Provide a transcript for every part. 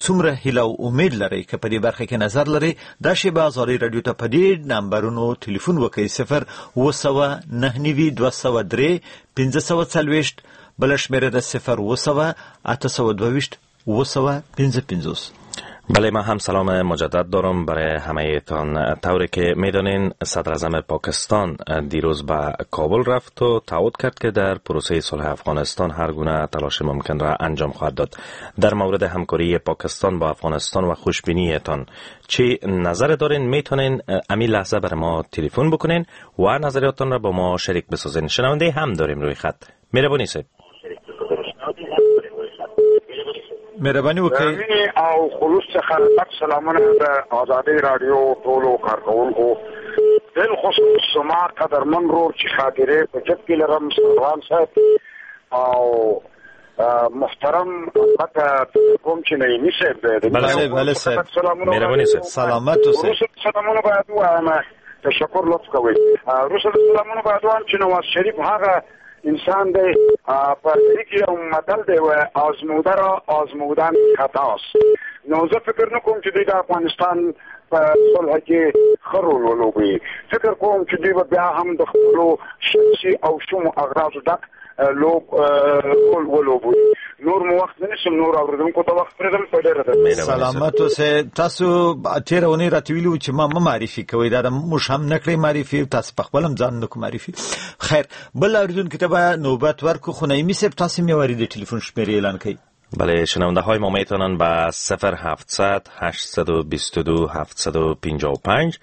څومره هیله او امید لرئ؟ که په دې برخه کې نظر لرئ، دا شیبه ازادي راډیو ته په دې نمبرونو ټلیفون وکړئ: 0799 203 540. بله شمېره ده 0700 822 755. بله، من هم سلام مجدد دارم برای همه تان. طوری که میدانین، صدر اعظم پاکستان دیروز به کابل رفت و تعهد کرد که در پروسه صلح افغانستان هر گونه تلاش ممکن را انجام خواهد داد. در مورد همکاری پاکستان با افغانستان و خوشبینیتان چه نظر دارین؟ میتونین امی لحظه بر ما تلفن بکنین و نظریاتتان را با ما شریک بسازین. شنونده هم داریم روی خط. مهربانی صاحب. مهرباني وکړئ. او خلوص څخه سلامونه د ازادي راډیو ټولو کارکوونکو، بالخصوص زما قدرمن ورور چې خاطرې په جب کې لرم، سروان صاحب، او محترم البته کوم چې نعیمي صاحب دی. بله بله صاحب، مهرباني صاحب، سلامت اوسئ. سلامونه باید ووایم، تشکر، لطف کوئ. وروسته سلامونه باید ووایم چې نواز شریف هغه انسان دی، په دې کې یو متل دی، وایي آزموده را آزمودن خطاست. نو زه فکر نه کوم چې دوی د افغانستان په صلح کې ښه رول ولوبوي. فکر کوم چې دوی به بیا هم د خپلو شخصي او شومو اغراضو ډک لوب رول ولوبوي. نور مو وخت نه نیسم، نور اورېدونکو ته وخت پرېږدم. په ډېره سلامت اوسئ. تاسو تېره اونۍ راته ویلي وو چې ما مه معرفي کوئ، دا موږ هم نه کړئ معرفي، تاسو په خپل هم ځان نه کو معرفي. خیر، بل اورېدونکي ته به نوبت ورکړو. خو نعیمي صاحب، تاسو مې واري د ټلیفون شمېرې اعلان کړئ. بله، شنونده های ما میتونن به 0700 822 755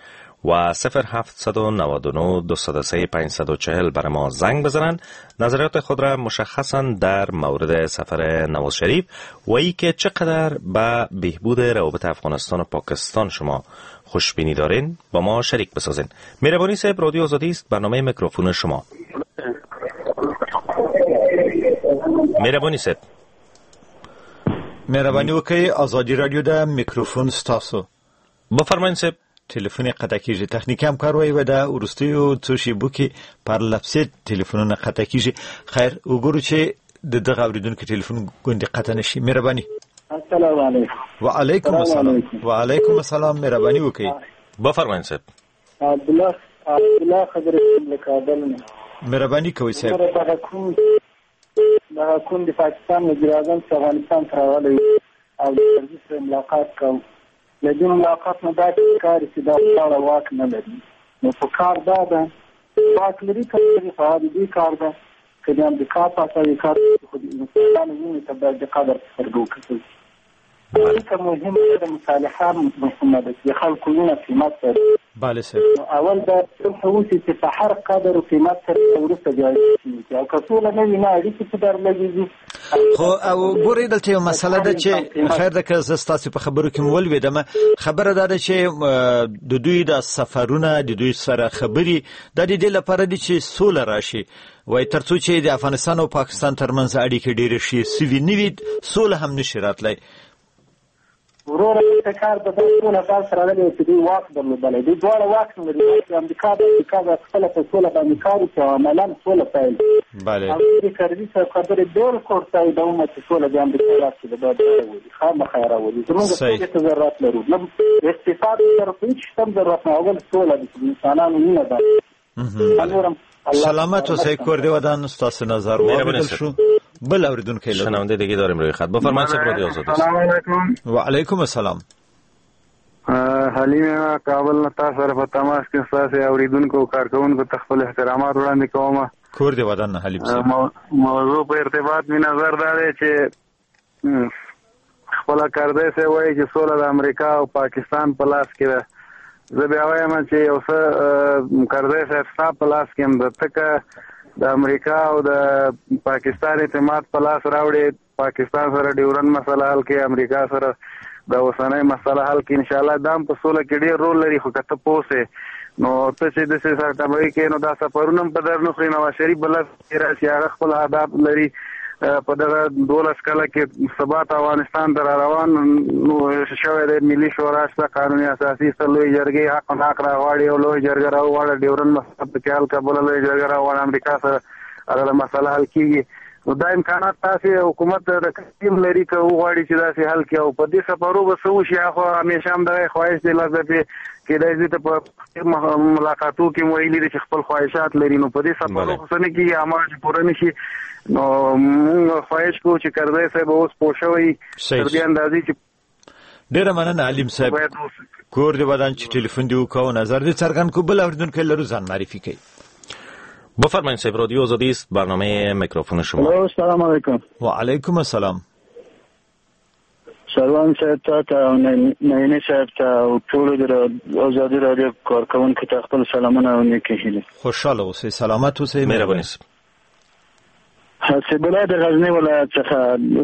و 0799 203 540 برای ما زنگ بزنن. نظریات خود را مشخصا در مورد سفر نواز شریف و ای که چقدر به بهبود روابط افغانستان و پاکستان شما خوشبینی دارین با ما شریک بسازین. مهربانی صاحب، رادیو آزادی است، برنامه میکروفون شما. مهربانی صاحب. مهرباني وکړئ، ازادي راډیو ده، میکروفون ستاسو. بفرمایئ صاحب. ټلیفون یې قطع کېږي. تخنیکي همکار وایي د وروستیو څو شېبو کې پرلپسې ټلیفونونه قطع کېږي. خیر، وګورو چې د دغه اورېدونکي ټلیفون ګوندې قطع نه شي. مهرباني. السلام علیکم. وعلیکم السلام. وعلیکم السلام، مهرباني وکړئ. بفرمایئ صاحب. عبدالله خبرې کوم له کابل نه. مهرباني کوئ صاحب. دغه کوم د پاکستان وزیراعظم چې افغانستان ته راغلی او د کرزي سره ملاقات کوو، له دې ملاقات نه داسې ښکاري چې دا دواړه واک نه لري. نو په کار دا ده، واک لري که نه لري، خو هغه د دوی کار ده. که د امریکا په اساس کار، خو د انسانانو وینې ته باید د قدر په سترګه وکتل شي. اړیکه مهمه ده، مصالحه مهمه ده چې د خلکو وینه قیمت لري. بله صاحب. اول باید صلح وشي چې په هر قدر او قیمت سره، وروسته بیا اړیکې. او که سوله نه وي، نه اړیکې په در لګېږي. خو او ګورئ، دلته یو مسله ده چې، خیر ده که زه ستاسو په خبرو کې ولوېدم، خبره دا ده چې د دوی د سفرونه، د دوی سره خبرې، دا د دې لپاره دي چې سوله راشي. وایي تر څو چې د افغانستان او پاکستان ترمنځ اړیکې ډېرې ښې سوي نه وي، سوله هم نشي راتلی. وروره، دلته کار به دا سوله داسې راغلې وه چې دوی واک درلودلی، دوی دواړه واک نه لري. امریکا به خپله په سوله باندې کار وکړي او عملاً سوله پیل کړي. او د کرزي صاحب خبرې بالکل تاییدوم چې سوله د امریکا لاس کې ده، باید راولي، خامخا یې راولي. زموږ سولې ته ضرورت لرو، نه اقتصاد ته، هېڅ شي ته هم ضرورت نه، اول سوله ده چې د انسانانو وینه ده. نورم سلامت اوسئ، کور دې ودان. ستاسو نظر واورېدل شو. بل اوریدونکی لرو. شنونده دیگه داریم روی خط. بفرمایید صاحب، رادیو آزادی. سلام علیکم. و علیکم السلام. حلیم کابل نه تاسو سره په تماس کې، ستاسو اوریدونکو او کارکوونکو ته خپل احترامات وړاندې کوم. کور دې ودان حلیم صاحب. موضوع په ارتباط مې نظر دا دی چې خپله کرزی صاحب وایي چې سوله د امریکا او پاکستان په لاس کې ده. زه بیا وایم چې یو څه کرزی صاحب ستا په لاس کې هم ده، ته که د امریکا او د پاکستان اعتماد په لاس راوړې، پاکستان سره ډیورن مسله حل کړې، امریکا سره د اوسنۍ مسله حل کړې، انشاءالله دا هم په سوله کې ډېر رول لري. خو که ته پوه سې، نو ته چې داسې سرټبۍ کې، نو دا سفرونه هم په در نه خوري. نواز شریف به لس راشي، هغه خپل اهداف لري. په دغه 12 کله کې ثبات افغانستان ته را روان نو شوی دی. ملي شورا شته، قانون اساسي شته، لوی جرګې حق او ناحق راغواړي، او لوی جرګه راوغواړه، ډیورن مسله پکې حل کړه، بله لوی جرګه راوغواړه، امریکا سره هغه مسله حل کېږي. نو دا امکانات تاسې حکومت د تیم لري که وغواړي چې داسې حل کړي. او په دې سفرو به څه وشي، هغه خو همیشه همدغه خواهش دی، لس دفعې کېدای شي ته په ملاقاتو کې مو ویلي دي چې خپل خواهشات لري، نو په دې سفرو خو څه نه کېږي، هماغه چې پوره نه شي. نو موږ خواهش کوو چې کرزی صاحب اوس پوه شوی تر دې اندازې چې ډېره مننه علیم صاحب، کور دې ودان چې ټلیفون دې وکړ او نظر دې څرګند کړ. بل اورېدونکی لرو، ځان معرفي کوي. بفرمایید صاحب، رادیو آزادی است، برنامه میکروفون شما. السلام علیکم. و علیکم السلام. سروان صاحب ته او نعیمي صاحب ته او ټولو د ازادي رادیو کارکوونکو ته خپل سلامونه او نیکې هیلې. خوشحاله اوسئ، سلامت اوسئ، مهرباني صاحب. حسیب الله د غزني ولایت څخه.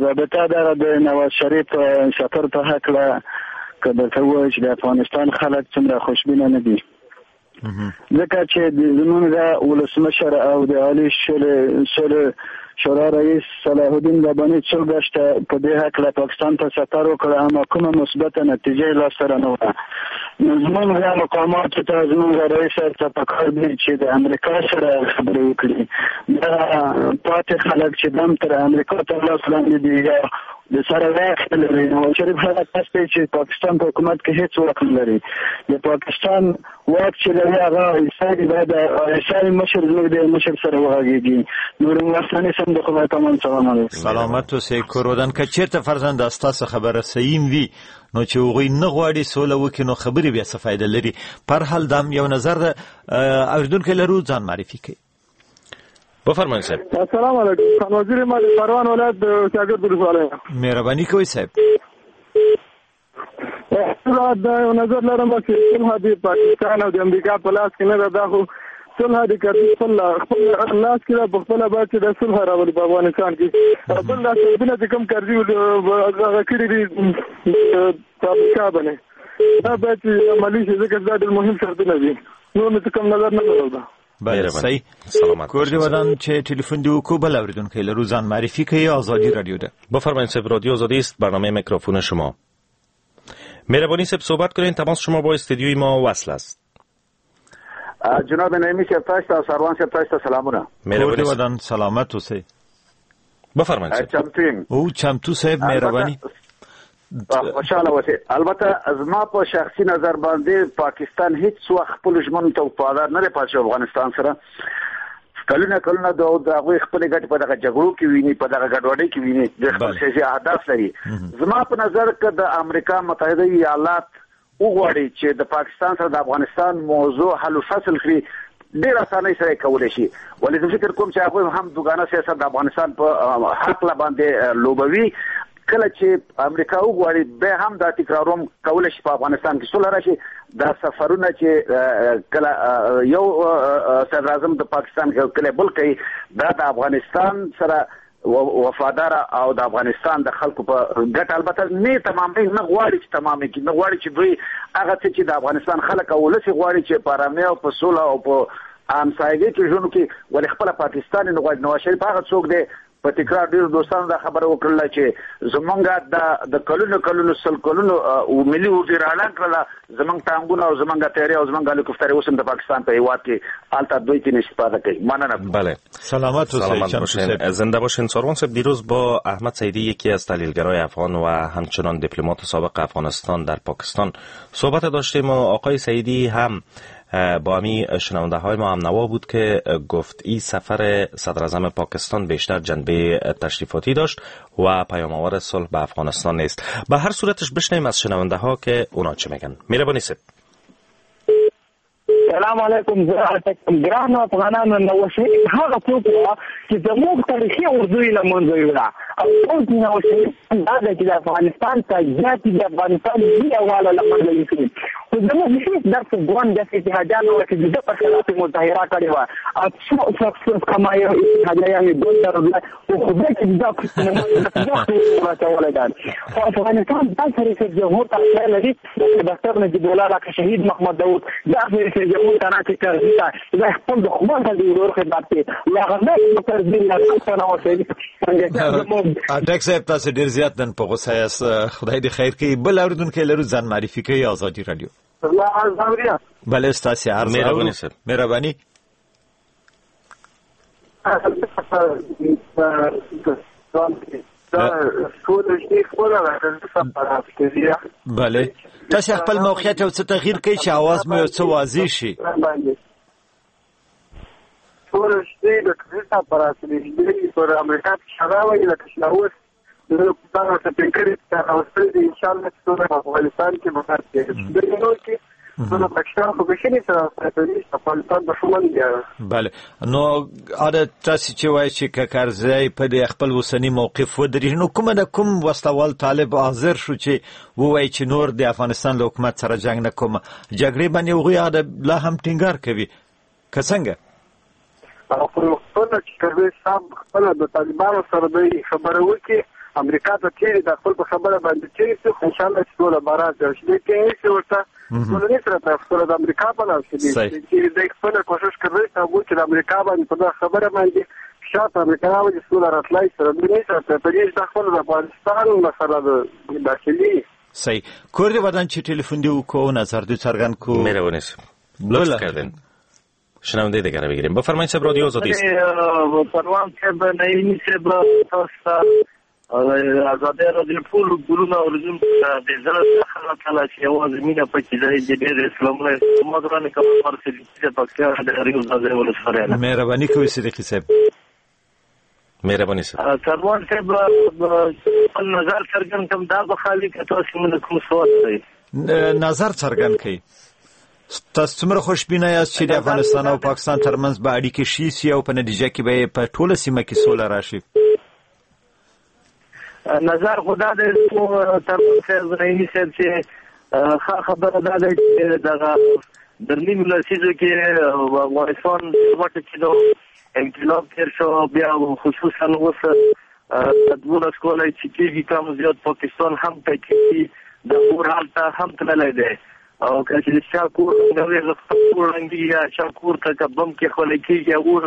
رابطه دغه د نواز شریف سفر په هکله که درته ووایم چې د افغانستان خلک څومره خوشبینه نه دي، ځکه چې زمونږ ولسمشر او د عالي سولې شورا رئیس صلاح الدین رباني څو ګشته په دې هکله پاکستان ته سفر وکړ، اما کومه مثبته نتیجه یې لاسته رانه وړه. نو زمونږ مقاماتو ته، زمونږ رئیس صاحب ته پکار دی چې د امریکا سره خبرې وکړي. دغه پاتې خلک چې دم تر امریکا تر لاس لاندې دي یا د سره واک لري، نواز شریف هغه کس دی چې پاکستان په حکومت کې هیڅ واک نه لري. د پاکستان واک چې لري هغه عیسائی باید عیسائی مشر زموږ د مشر سره وغږېږي. نور افغانستاني سم د خدای په امان. سلام علیکم. سلامت اوسئ کور ودان. که چېرته فرضاً دا ستاسو خبره صحیح وي، نو چې هغوی نه غواړي سوله وکړي، نو خبرې بیا څه فایده لري؟ پر حال دا یو نظر ده. اورېدونکی لرو، ځان معرفي کوي. بفرمایید صاحب. السلام علیکم. خان وزیر ما د پروان ولایت د شاګرد ولسوالۍ. مهرباني کوئ صاحب. دا یو نظر لرم چې صلح د پاکستان او د امریکا په لاس کې نه ده، دا خو صلح د کرزي خپل لاس کې ده، په خپله باید چې دا صلح راولي په افغانستان کې. بل دا شرطونه چې کوم کرزي هغه کړي دي په امریکا باندې، دا باید چې عملي شي، ځکه دا ډېر مهم شرطونه دي. نور مې څه کوم نظر نه لرم. بله صحیح. سلامت کور دې ودان چې ټلیفون دې وکړو. بل اورېدونکی لرو، ځان معرفي کوي. ازادي رادیو ده. بفرمایید صاحب، رادیو آزادی است، برنامه میکروفون شما. مهربانی صاحب صحبت کنین، تماس شما با استودیوی ما وصل است. جناب نعیمي صاحب تاسو ته او سروان صاحب تاسو ته سلامونه. کور دې ودان، سلامت اوسئ. بفرمایید صاحب. چمتو او چمتو صاحب، مهرباني. خوشحاله اوسئ. البته زما په شخصي نظر باندې پاکستان هیڅ وخت خپلو ژمنو ته وفادار نه دی پاتې شوی افغانستان سره. کلونه کلونه د هغوی خپلې ګټې په دغه جګړو کې ویني، په دغه ګډوډۍ کې ویني، د خپل سیاسي اهداف لري. زما په نظر که د امریکا متحده ایالات وغواړي چې د پاکستان سره د افغانستان موضوع حل و فصل کړي، ډېر اسانۍ سره یې کولی شي. ولې زه فکر کوم چې هغوی هم دوګانه سیاست د افغانستان په هکله باندې لوبوي. کله چې امریکا وغواړي بیا هم دا تکراروم کولی شي په افغانستان کې سوله راشي. دا سفرونه چې کله یو صدراعظم د پاکستان کله بل کوي، دا د افغانستان سره وفادار او د افغانستان د خلکو په ګټه البته نه تمامې نه غواړي چې تمامې کړي، نه غواړي چې دوی هغه څه چې د افغانستان خلک او ولس غواړي چې په ارامۍ او په سوله او په همسایګۍ کې ژوند وکړي، ولې خپله پاکستان یې نه غواړي. نواز شریف هغه څوک دی، په تکرار ډېرو دوستانو دا خبره وکړله چې زمونږ د کلونو کلونو سل کلونو ملي اردو راړنګ کړله، زمونږ ټانګونه او زمونږ طیارې او زمونږ هلیکوپترې اوس هم د پاکستان په هیواد کې هلته دوی ترې استفاده کوي. مننه. بله سلامت باشین، زنده باشین. ساروان صاحب، دیروز با احمد سعیدی، یکی از تحلیلگرای افغان و همچنان دیپلمات سابق افغانستان در پاکستان صحبت داشتیم و آقای سعیدی هم با همی شنونده های ما هم نوا بود که گفت این سفر صدر اعظم پاکستان بیشتر جنبه تشریفاتی داشت و پیام آور صلح به افغانستان نیست. به هر صورتش بشنیم از شنونده ها که اونا چه میگن. مهربانی صاحب. سلام علیکم. زه ګرانو افغانانو، نواز شریف هغه څوک و چې زموږ تاریخي اردو یې له منځه یوړه، او اوس نواز شریف دا دی چې د افغانستان تجزیه چې د افغانستان ملي یووالی له منځه یوسي. خو زموږ هېڅ داسې ګوند داسې اتحادیان وه چې د ده په خلاف یې مظاهره کړې وه او څو کما یو اتحادیان یې ګوند درلوده، خو خدای چې دا راچولی ده. خو افغانستان داسې رئیس جمهور ته اړتیا لري لکه ډاکټر نجیب الله، لکه شهید محمد داود، داسې رئیس جمهور ته نه چې کرزي ته دا خپل دښمن ته د ورور خدمت کوي، له هغه نه کرزي له نواز شریف. اټک صاحب، تاسو ډېر زیات نن په غوسه یاست، خدای دې خیر کوي. بل اورېدونکی لرو، ځان معرفي کوي. ازادي رادیو. بله ستاسې عرض. مهرباني صاحب. مهرباني. بله، تاسو خپل موقعیت یو څه تغییر کړئ چې اواز مو یو څه واضح شي. ټول شته د کرزي پر اصلي پر امریکا شراوي لکه چې اوس دغه څه فکر راوستل دي. ان شاء الله چې ټول افغانستان کې به کار کوي. نو پاکستان خو به شي سره افغانستان دښمن دی. بله، نو اده تاسو چې وایي چې کرزی په دې خپل اوسنی موقف ودرېږي، نو کومه د کوم وسلوال طالب حاضر شو چې ووایي چې نور د افغانستان له حکومت سره جنگ نه کوم؟ جګړې باندې هغوی اده لا هم ټینګار کوي که څنګه؟ خو خپله چې کرزی صاحب خپله د طالبانو سره دی خبره وکړي، امریکا ته تېرې د خپل په خبره باندې تېرې شي، خو انشاءالله چې سوله به راشي. چې دی ټینګ شي ورته سوله نه سره سوله د امریکا په لاس کې دی. چې دی خپله کوشش کرزی صاحب وکړي د امریکا باندې په دغه خبره باندې فشار په امریکا راولي، سوله راتلای سره دوی نه سره په دې چې دا خپله د افغانستان مسله ده داخلي. صحیح، کور دې ودان چې ټلیفون دې وکړو، نظر دې څرګند کړو. مهرباني لطف کردین. شنونده دیگر بگیریم. بفرمایید صاحب، رادیو آزادی است. پروان صاحب، نعیمی صاحب، تاسو ازادي رادیو ټول ګلونه او رجوم د زړه څخه تعالی چې یوازې مینه پکې دی. د ډېر اسلامونه ما درنه کوم صدیقي صاحب پکتیا د ریو ازادي ولسوالۍ. مهرباني کوئ صدیقي صاحب. مهرباني صاحب. سروان صاحب، خپل نظر څرګند کړم، دا به خالي که تاسو موږ کوم سوال لرئ؟ نظر څرګند کړئ. تاسو څومره خوشبینه یاست چې د افغانستان او پاکستان ترمنځ به اړیکې ښې شي او په نتیجه کې به په ټوله سیمه کې سوله راشي؟ نظر خو دا دی تر نعیمي صاحب چې ښه خبره دا ده چې دغه در نیمو لسیزو کې افغانستان وټه چې د انقلاب تېر شو، بیا خصوصا اوس 12 کاله چې کېږي کم زیات پاکستان هم ټکي د اور هلته هم تللی دی. او که چې چا کور ړنګوي هغه خپل کور ړنګېږي، یا چا کور ته که بم کېښودل کېږي اور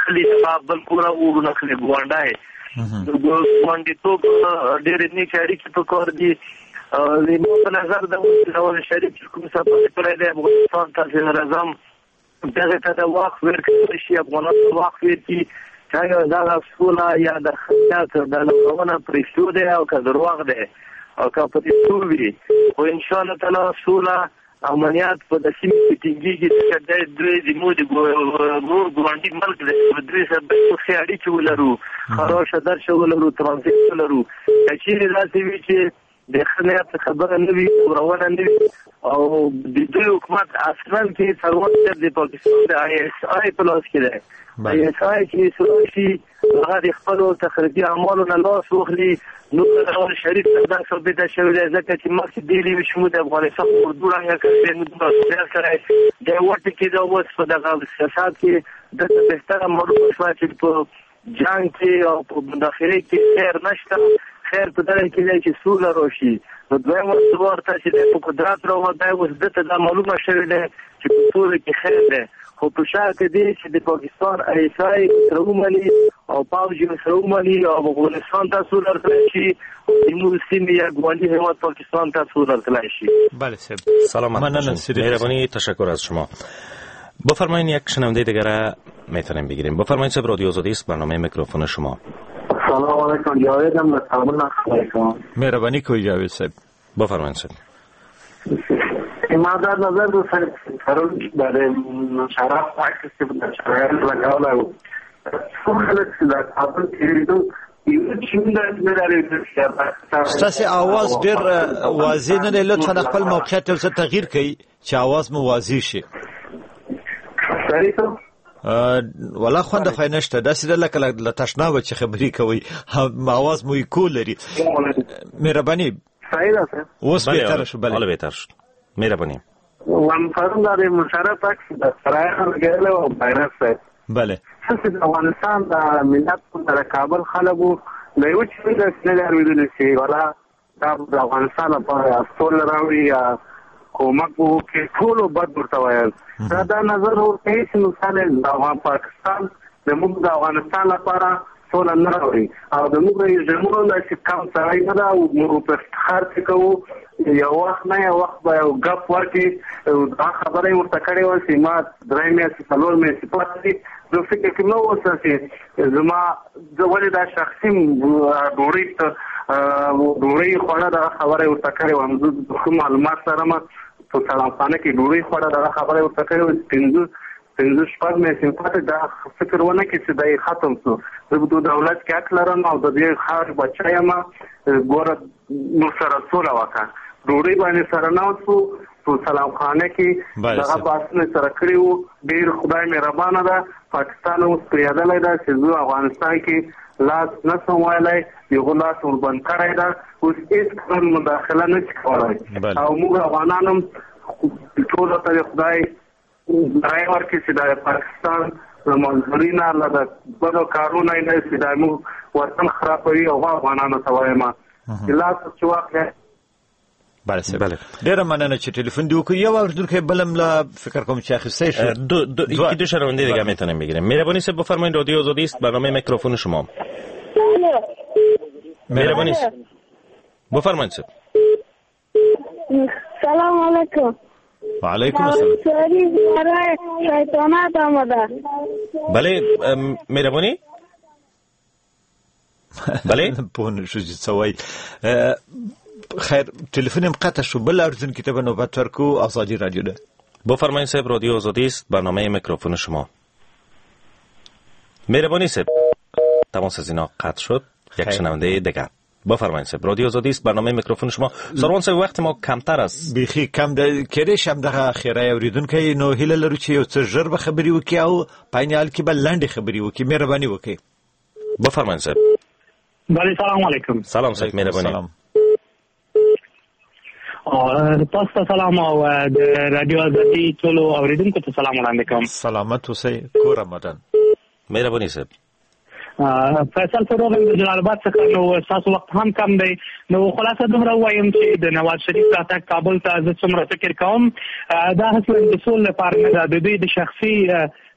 خلي، هغه بل کور اورونه خلي. ګاونډی ګاونډیتوب ډېرې نېکې اړیکې په کار دي. زما په نظر د نواز شریف چې کوم سفر کړی دی افغانستان ته، صدراعظم دغه ته د وخت ورکړل شي، افغانان ته وخت ورکړي چې ایا دغه سوله یا د خیانت د لګونه پرېښتو دی او که درواغ دی او که په رښتو وي. خو انشاءالله تعالی سوله امنیت په د سیمې کې ټینګېږي، ځکه دی دوی زموږ د ورور ګاونډي ملک دی، دوی سره باید ښې اړیکې ولرو، ښه راشه درشه ولرو، ترانزیت ولرو. که چېرې داسې وي چې د ښه نیت خبره نه وي، ورونه نه وي، او د دوی حکومت اصلا کې څلور صاحب د پاکستان د آی اس آی په لاس کې دی. آی اس آی چې اصلاح شي، هغه د خپلو تخریبي اعمالو نه لاس واخلي. نو نواز شریف ته دا ثابته شوې ده، ځکه چې مخکې ډېرې وي چې موږ د افغانستان اردو ړنګه کړې، موږ دومره زیات کړی دی وټه کې دا اوس په دغه سیاست کې دلته بهتره معلومه شوه چې په جنګ کې او په مداخلې کې خیر نشته، خیر په دغه کې دی چې سوله راشي. نو دویم ورته چې دی په قدرت راووت، دی اوس ده ته دا معلومه شوې ده چې په سوله کې خیر دی، خو په شرط دی چې د پاکستان آی اس آی سره ومني او پوځ یې سره ومني او افغانستان ته سوله ورکړای شي، زموږ سیمې یا ګاونډي هېواد پاکستان ته سوله ورکړای شي. بله صاحب، سلامت باشین. مهربانی، تشکر از شما. بفرمایید یک شنونده دیگر میتونیم بگیریم. بفرمایید صاحب، رادیو آزادی است، برنامه میکروفون شما. سلام علیکم، جاویدم به کابل علیکم. مهربانی کوي جاوید صاحب. بفرمایید صاحب. ما در نظر دو پرون برای مشرف عکس که در شرایط لگاوله و څو خلک چې د کابل تېرېدو یو چې نه ستاسې اواز ډېر واضح نه دی، لطفا خپل موقعیت یو څه تغییر کړئ چې اواز مو واضح شي. ولا خوند خو نشته، داسې ده لکه له تشنابه چې خبرې کوئ، اواز مو ایکو لري. مهرباني. صحیح ده، اوس بهتره شو. بله، حالا بهتر شد. مهرباني. وم پرون د مشرف عکس د سرای لګېدلی او بیرغ صاحب. بله، څه د افغانستان د ملت د کابل خلکو د یو چې داسې نه دی اورېدلی چې ولا دا د افغانستان لپاره سوله راوړي یا کومک وکړي، ټولو بد ورته ویل. دا نظر ورته هېڅ نقصان د افغان پاکستان د موږ د افغانستان لپاره سوله نه راوړي او د موږ رژیمونو داسې کم سړی نه ده او موږ په افتخار پرې کوو. یو وخت نه یو وخت به یو ګپ ورکړي، دا خبره یې ورته کړې وه چې ما 3 میاشتې 4 میاشتې پاتې دي، زه فکر کې نه اوسم چې زما زه ولې دا شخصي ډوډۍ ته ډوډۍ خوړه، دغه خبره یې ورته کړې وه. زه ښه معلومات لرم، په سلامخانه کې ډوډۍ خوړه، دغه خبره یې ورته کړې وه. پنځه شپږ میاشتې پاتې، دا فکر ونه کړي چې دا یې ختم شو. زه په دولت کې حق لرم او د دې ښار بچی یم، ګوره موږ سره سوله وکړه. ډوډۍ باندې سره ناست وو په سلامخانه کې، دغه بحثونه سره کړي وو. ډېر خدای مهربانه ده، پاکستان اوس پوهېدلی ده چې زه افغانستان کې لاس نه سم ویلی، هغو لاس وربند کړی ده، اوس هېڅ کله مداخله نه شي کولی. او موږ افغانان هم ټولو ته د خدای رایه ورکړي چې د پاکستان له منظوري نه، له د بدو کارونه یې نه چې دا موږ وطن خرابوي، هغو افغانانو ته وایم چې لاس چې واخلي. بله بله، ډیره مننه چې تلفن دی وکړ. یو اوریدونکی بلم لا فکر کوم چې اخیستی شو. دو یکی دو شنونده دیگه میتونیم بگیریم. مهربانی صاحب بفرمایید، رادیو آزادی است، برنامه میکروفون شما. مهربانی صاحب بفرمایید. صاحب سلام علیکم. و علیکم السلام. برای شیطانت آمده. بله مهربانی. بله پوه نه شو چې څه وایي. خیر، تلفن هم قطع شو. بل اوریدونکي ته به نوبت ورکو. ازادي رادیو ده. بفرمایید صاحب، رادیو آزادی است، برنامه میکروفون شما. مهربانی صاحب، تماس از اینا قطع شد. یک شنونده دیگر. بفرمایید صاحب، رادیو آزادی است، برنامه میکروفون شما. سروان صاحب وخت ما کمتر است، بیخي کم ده، کېدای شي همدغه اخیری اوریدونکی، نو هیله لرو چې یو څه ژر به خبرې وکړي او په عین حال کې به لنډې خبرې وکړي. مهرباني وکړئ. بفرمایید صاحب. بله سلام علیکم. سلام صاحب، مهرباني. سلام. تاسو ته سلام او د رادیو ازادي ټولو اوریدونکو ته سلام وړاندې کوم. سلامت اوسئ، کور آمدن. مهرباني صاحب. فیصل فروغ د جلال آباد څخه. نو ستاسو وخت هم کم دی، نو خلاصه دومره ووایم چې د نواز شریف راتګ کابل ته زه څومره فکر کوم، دا اصلا د سولې لپاره نه ده، د دوی د شخصي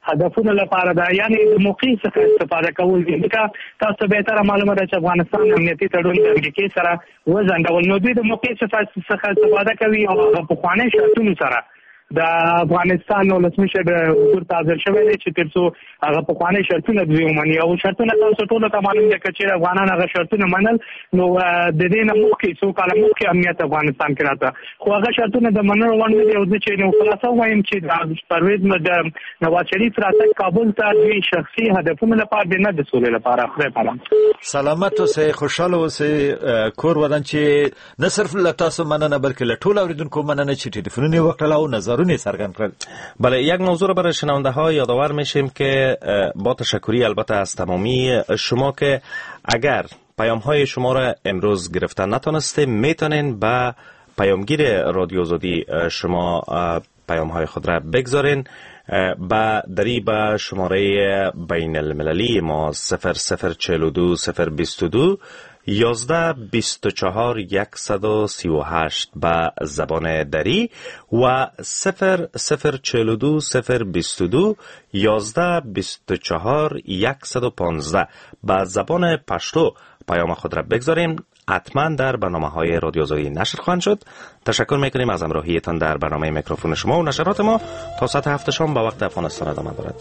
هدفونو لپاره ده، یعنی د موقع څخه استفاده کول دي. ځکه تاسو به تر معلومه ده چې افغانستان امنیتي تړون د امریکې سره وځنډول، نو دوی د موقع څخه استفاده کوي او هغه پخواني شرطونو سره د افغانستان ولسمشر حضور ته حاضر شوی دی چې تر څو هغه پخواني شرطونه دوی ومني. او شرطونه تاسو ټولو ته معلوم دي، که چېرې افغانان هغه شرطونه منل نو د دې نه مخکې څو کاله مخکې امنیت افغانستان کې راته، خو هغه شرطونه د منلو وړ نه دي. او زه چې نو خلاصه ووایم چې د پرویز د نواز شریف راتګ کابل ته دوی شخصي هدفونو لپاره دی، نه د سولې لپاره. خدای پامان. سلامت اوسئ، خوشحاله اوسئ، کور ودان. چې نه صرف له تاسو مننه بلکې له ټولو اوریدونکو مننه چې ټلیفونونه یې وکړل او نظر. بله، یک موضوع رو برای شنونده ها یادآور میشیم که با تشکری البته از تمامی شما که اگر پیام های شما را امروز گرفتن نتانستیم، میتونین به پیامگیر رادیو آزادی شما پیام های خود را بگذارین با دری به شماره بین المللی ما 0042 022 11 24 138 به زبان دری و 0042 022 11 24 115 به زبان پشتو پیام خود را بگذاریم. حتما در برنامه های رادیو آزادی نشر خواهند شد. تشکر میکنیم از همراهیتان در برنامه میکروفون شما و نشرات ما تا ساعت 7 شام به وقت افغانستان ادامه دارد.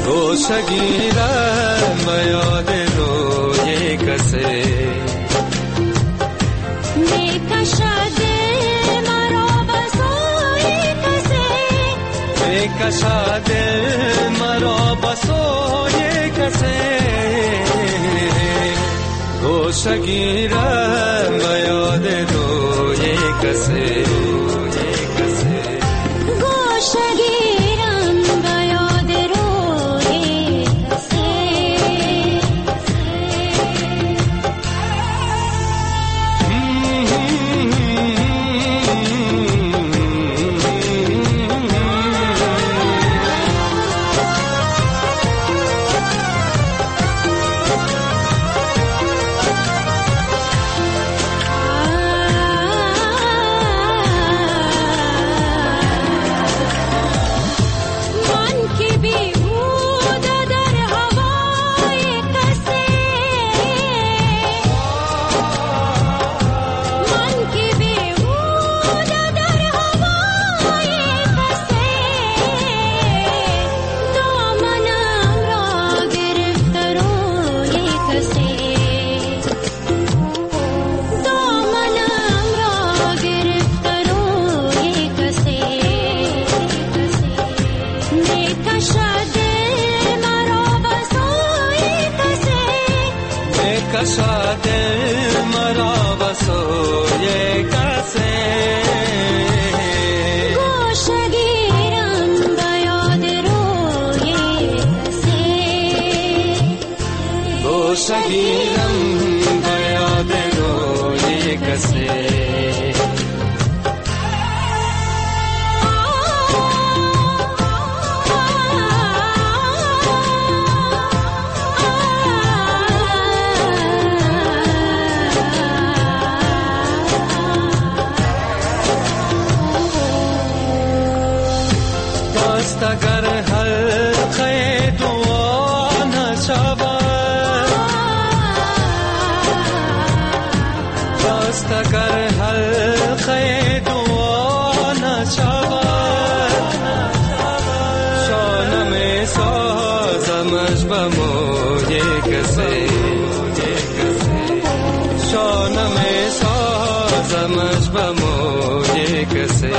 گوشگیرم به یاد روی کسی، میکشد دل مرا به سوی کسی، میکشد دل مرا به سوی کسی. گوشگیرم به یاد روی کسی، گوشگیرم به یاد روی کسی. کسه. اگر حلقه دعا نشود، دست اگر حلقه دعا نشود، شانه می سازمش به موی کسی، شانه می سازمش به موی کسی.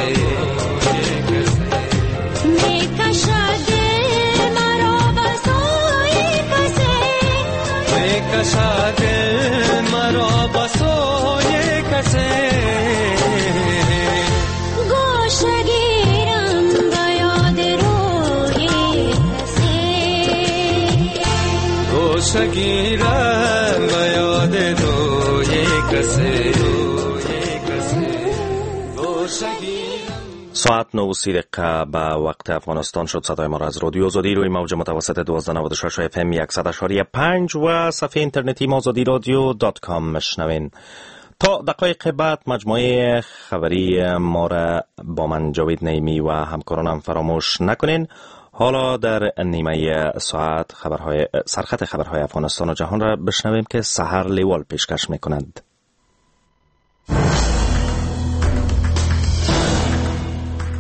کشد مرا بسوی کسی، گوشه گیرم به یاد روی کسی، گوشه گیرم به یاد روی کسی، گوشه گیرم. ساعت 9:30 به وقت افغانستان شد. صدای ما را از رادیو آزادی روی موج متوسط 1296 اف ام 100.5 و صفحه اینترنتی ما آزادی رادیو .com مشنوین. تا دقایق بعد مجموعه خبری ما را با من جاوید نعیمی و همکارانم فراموش نکنین. حالا در نیمه ساعت خبرهای سرخط خبرهای افغانستان و جهان را بشنویم که سحر لیوال پیشکش میکند.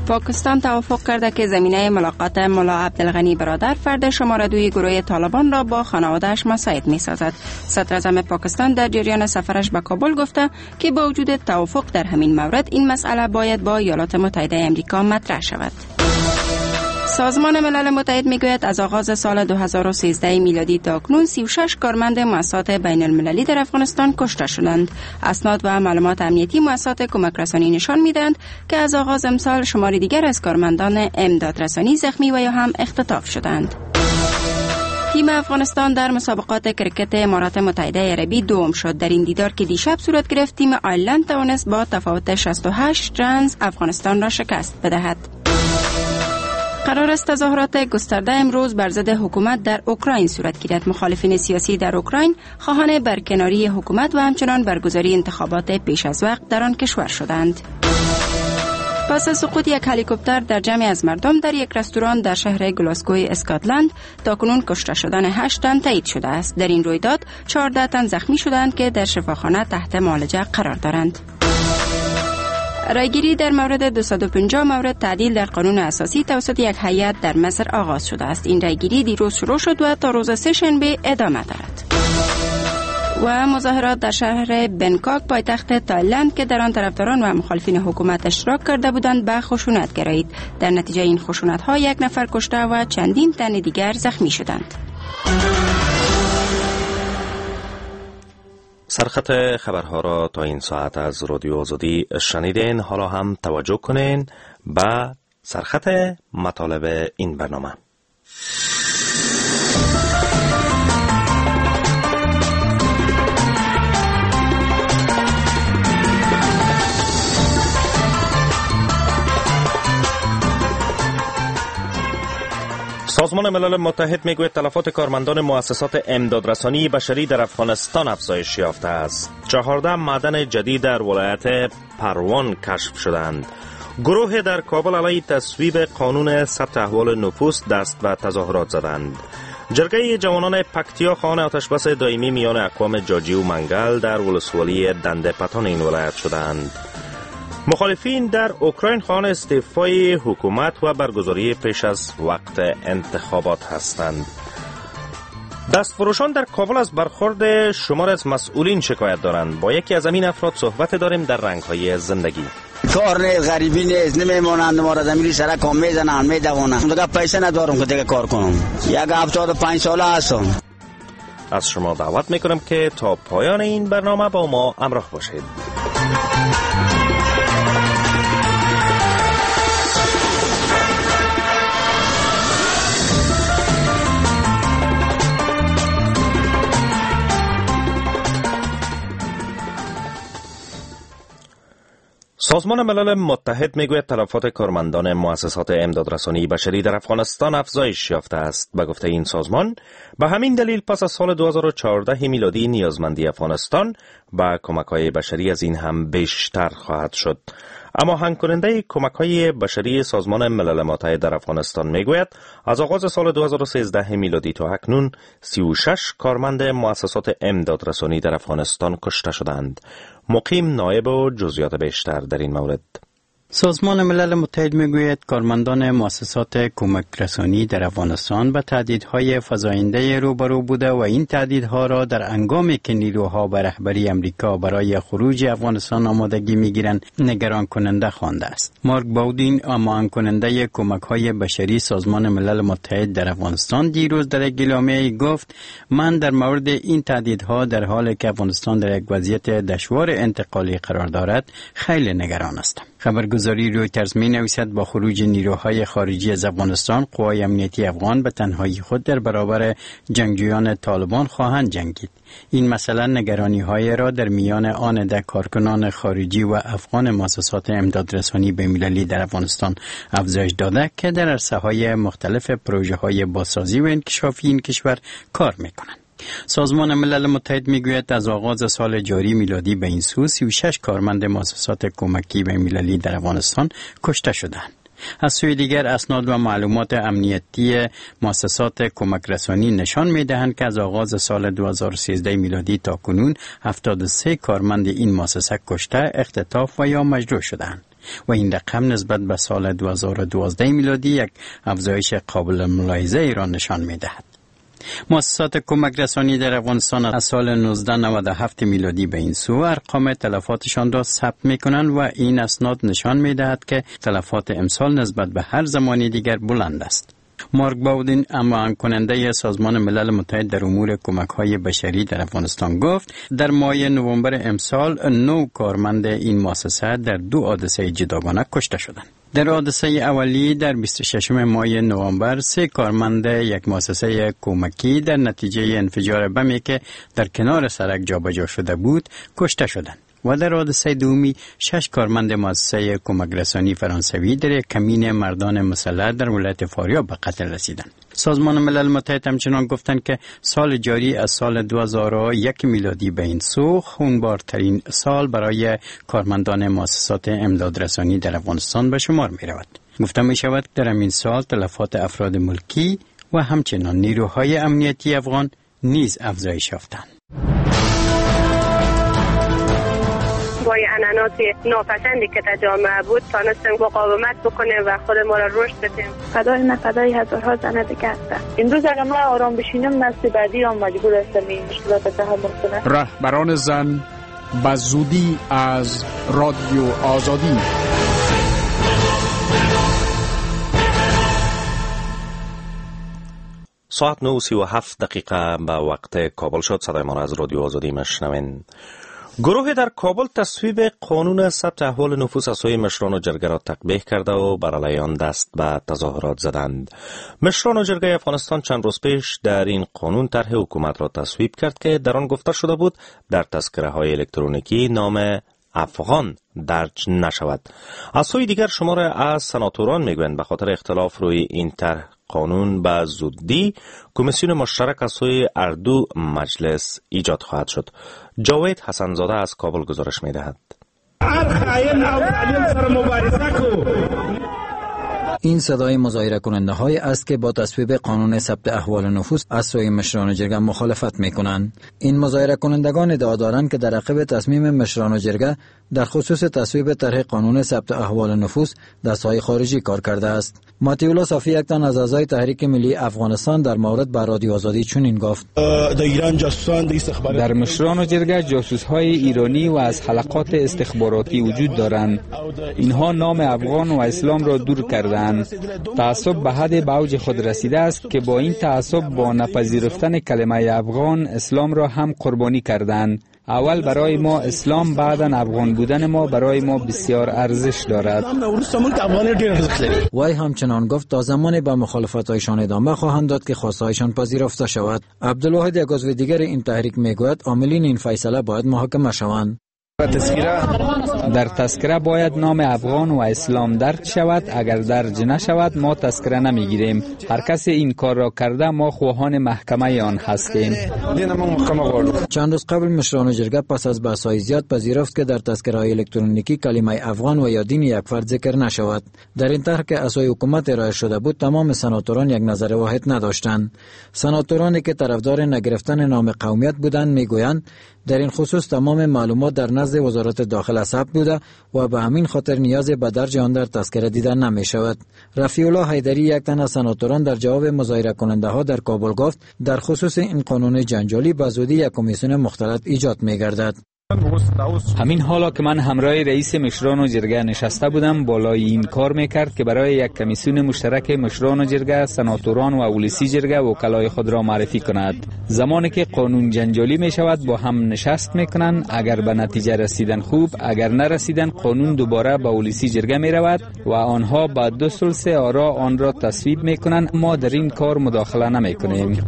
پاکستان توافق کرده که زمینه ملاقات ملا عبدالغنی برادر فرد شماره 2 گروه طالبان را با خانواده‌اش مساعد می‌سازد. صدراعظم پاکستان در جریان سفرش به کابل گفته که با وجود توافق در همین مورد این مسئله باید با ایالات متحده آمریکا مطرح شود. سازمان ملل متحد میگوید از آغاز سال 2013 میلادی تا اکنون 36 کارمند مؤسسات بین المللی در افغانستان کشته شدند. اسناد و معلومات امنیتی مؤسسات کمک رسانی نشان میدهند که از آغاز امسال شمار دیگر از کارمندان امداد رسانی زخمی و یا هم اختطاف شدند. تیم افغانستان در مسابقات کرکت امارات متحده عربی دوم شد. در این دیدار که دیشب صورت گرفت، تیم آیرلند توانست با تفاوت 68 رنز افغانستان را شکست بدهد. قرار است تظاهرات گسترده امروز بر ضد حکومت در اوکراین صورت گیرد. مخالفین سیاسی در اوکراین خواهان برکناری حکومت و همچنان برگزاری انتخابات پیش از وقت در آن کشور شدند. پس از سقوط یک هلیکوپتر در جمعی از مردم در یک رستوران در شهر گلاسگوی اسکاتلند تاکنون کشته شدن 8 تن تایید شده است. در این رویداد 14 تن زخمی شدند که در شفاخانه تحت معالجه قرار دارند. رایگیری در مورد 250 مورد تعدیل در قانون اساسی توسط یک هیئت در مصر آغاز شده است. این رایگیری دیروز شروع شد و تا روز سه‌شنبه ادامه دارد. و مظاهرات در شهر بنکاک پایتخت تایلند که در آن طرفداران و مخالفین حکومت اشتراک کرده بودند به خشونت گرایید. در نتیجه این خشونت‌ها یک نفر کشته و چندین تن دیگر زخمی شدند. سرخط خبرها را تا این ساعت از رادیو آزادی شنیدین. حالا هم توجه کنین به سرخط مطالب این برنامه. سازمان ملل متحد میگوید تلفات کارمندان مؤسسات امدادرسانی بشری در افغانستان افزایش یافته است. 14 معدن جدید در ولایت پروان کشف شدند. گروه در کابل علیه تصویب قانون ثبت احوال نفوس دست به تظاهرات زدند. جرگه جوانان پکتیا خواهان آتشبس دائمی میان اقوام جاجی و منگل در ولسوالی دنده پتان این ولایت شدند. مخالفین در اوکراین خواهان استعفای حکومت و برگزاری پیش از وقت انتخابات هستند. دستفروشان در کابل از برخورد شمار از مسئولین شکایت دارند. با یکی از این افراد صحبت داریم در رنگ‌های زندگی. کار نیست، غریبی نیست، نمیمانند ما را زمینی سرک هم میزنند، میدوانند. دیگه پیسه ندارم که دیگه کار کنم. 75 ساله هستم. از شما دعوت میکنم که تا پایان این برنامه با ما همراه باشید. سازمان ملل متحد میگوید تلفات کارمندان مؤسسات امدادرسانی بشری در افغانستان افزایش یافته است. به گفته این سازمان، به همین دلیل پس از سال 2014 میلادی نیازمندی افغانستان به کمک‌های بشری از این هم بیشتر خواهد شد. اما هنگ کننده کمک‌های بشری سازمان ملل متحد در افغانستان میگوید از آغاز سال 2013 میلادی تا اکنون 36 کارمند مؤسسات امدادرسانی در افغانستان کشته شدند. مقیم نایب و جزئیات بیشتر در این مورد. سازمان ملل متحد میگوید کارمندان مؤسسات کمک رسانی در افغانستان به تهدیدهای فزاینده روبرو بوده و این تهدیدها را در هنگامی که نیروها به رهبری امریکا برای خروج افغانستان آمادگی میگیرند نگران کننده خوانده است. مارک باودین، هماهنگ کننده کمک‌های بشری سازمان ملل متحد در افغانستان، دیروز در یک اعلامیه گفت: من در مورد این تهدیدها در حالی که افغانستان در یک وضعیت دشوار انتقالی قرار دارد خیلی نگران هستم. خبرگزاری رویترز می نویسد با خروج نیروهای خارجی از افغانستان، قوای امنیتی افغان به تنهایی خود در برابر جنگجویان طالبان خواهند جنگید. این مسئله نگرانی های را در میان آن عده کارکنان خارجی و افغان مؤسسات امدادرسانی بین‌المللی در افغانستان افزایش داده که در عرصه های مختلف پروژه های بازسازی و انکشافی این کشور کار می کنند. سازمان ملل متحد میگوید از آغاز سال جاری میلادی به این سو 36 کارمند مؤسسات کمکی بین‌المللی در افغانستان کشته شدند. از سوی دیگر اسناد و معلومات امنیتی مؤسسات کمک رسانی نشان می‌دهند که از آغاز سال 2013 میلادی تا کنون 73 کارمند این مؤسسه کشته، اختطاف و یا مجروح شدند و این رقم نسبت به سال 2012 میلادی یک افزایش قابل ملاحظه را نشان می‌دهد. مؤسسات کمک رسانی در افغانستان از سال 1997 میلادی به این سو ارقام تلفاتشان را ثبت می‌کنند و این اسناد نشان می‌دهد که تلفات امسال نسبت به هر زمان دیگر بلند است. مارک باودین، هماهنگ کننده سازمان ملل متحد در امور کمک‌های بشری در افغانستان، گفت در ماه نوامبر امسال 9 کارمند این مؤسسه در 2 حادثه جداگانه کشته شدند. در حادثه اولی در 26 ماه نوامبر 3 کارمند یک مؤسسه کمکی در نتیجه انفجار بمی که در کنار سرک جابجا شده بود کشته شدند و در حادثه دومی 6 کارمند مؤسسه کمک رسانی فرانسوی در کمین مردان مسلح در ولایت فاریاب به قتل رسیدند. سازمان ملل متحد همچنان گفتند که سال جاری از سال 2001 میلادی به این سو خونبارترین سال برای کارمندان مؤسسات امدادرسانی در افغانستان به شمار می رود. گفته می شود در همین سال تلفات افراد ملکی و همچنان نیروهای امنیتی افغان نیز افزایش یافتند. با عنعنات ناپسندی که در جامعه بود تانستیم مقاومت بکنیم و خود ما را رشد بدیم. فدای من فدای هزارها زن دیگه هستم. امروز اگر من آرام بشینم نسل بعدی هم مجبور هستم این مشکلات تحمل کنه. رهبران زن به زودی از رادیو آزادی. ساعت 9:37 به وقت کابل شد. صدای ما را از رادیو آزادی مشنوین. گروه در کابل تصویب قانون ثبت احوال نفوس از سوی مشران و جرگه را تقبیح کرده و بر علیه آن دست به تظاهرات زدند. مشران و جرگه افغانستان چند روز پیش در این قانون طرح حکومت را تصویب کرد که در آن گفته شده بود در تذکره های الکترونیکی نام افغان درج نشود. از سوی دیگر شمار از سناتوران میگویند به خاطر اختلاف روی این طرح قانون به زودی کمیسیون مشترک از سوی اردو مجلس ایجاد خواهد شد. جاوید حسنزاده از کابل گزارش می‌دهد. این صدای مظاهره کننده های است که با تصویب قانون ثبت احوال نفوس از سوی مشران جرگه مخالفت می کنند. این مظاهره کنندگان ادعا دارند که در عقب تصمیم مشران جرگه در خصوص تصویب طرح قانون ثبت احوال نفوس دست‌های خارجی کار کرده است. ماتیولا صافی، یک تن از اعضای تحریک ملی افغانستان، در مورد به رادیو آزادی چنین گفت: در مشران جرگه جاسوس‌های ایرانی و از حلقات استخباراتی وجود دارند. اینها نام افغان و اسلام را دور کردند. تعصب به حد به اوج خود رسیده است که با این تعصب با نپذیرفتن کلمه افغان اسلام را هم قربانی کردند. اول برای ما اسلام، بعداً افغان بودن ما برای ما بسیار ارزش دارد. وی همچنان گفت تا زمانی به مخالفت‌هایشان ادامه خواهند داد که خواستهایشان پذیرفته شود. عبدالواحد، یک عضو دیگر این تحریک، میگوید عاملین این فیصله باید محاکمه شوند. در تذکره باید نام افغان و اسلام درج شود. اگر درج نشود ما تذکره نمیگیریم. هر کسی این کار را کرده ما خواهان محکمه آن هستیم. چند روز قبل مشران جرگه پس از بحث‌های زیاد پذیرفت که در تذکره‌های الکترونیکی کلمه افغان و یا دین یک فرد ذکر نشود. در این طرح که از سوی حکومت ارائه شده بود تمام سناتوران یک نظر واحد نداشتند. سناتورانی که طرفدار نگرفتن نام قومیت بودند میگویند در این خصوص تمام معلومات در نزد وزارت داخله ثبت بوده و به همین خاطر نیاز به درج آن در تذکره دیده نمی شود. رفیع الله حیدری، یک تن از سناتوران، در جواب مظاهره کننده ها در کابل گفت در خصوص این قانون جنجالی به زودی یک کمیسیون مختلط ایجاد می گردد. همین حالا که من همراه رئیس مشران و جرگه نشسته بودم بالای این کار میکرد که برای یک کمیسیون مشترک مشران و جرگه، سناتوران و ولسی جرگه وکلای خود را معرفی کند. زمانی که قانون جنجالی می شود با هم نشست میکنند. اگر به نتیجه رسیدن خوب، اگر نرسیدن قانون دوباره به ولسی جرگه می رود و آنها با 2/3 آرا آن را تصویب میکنند. ما در این کار مداخله نمی کنیم.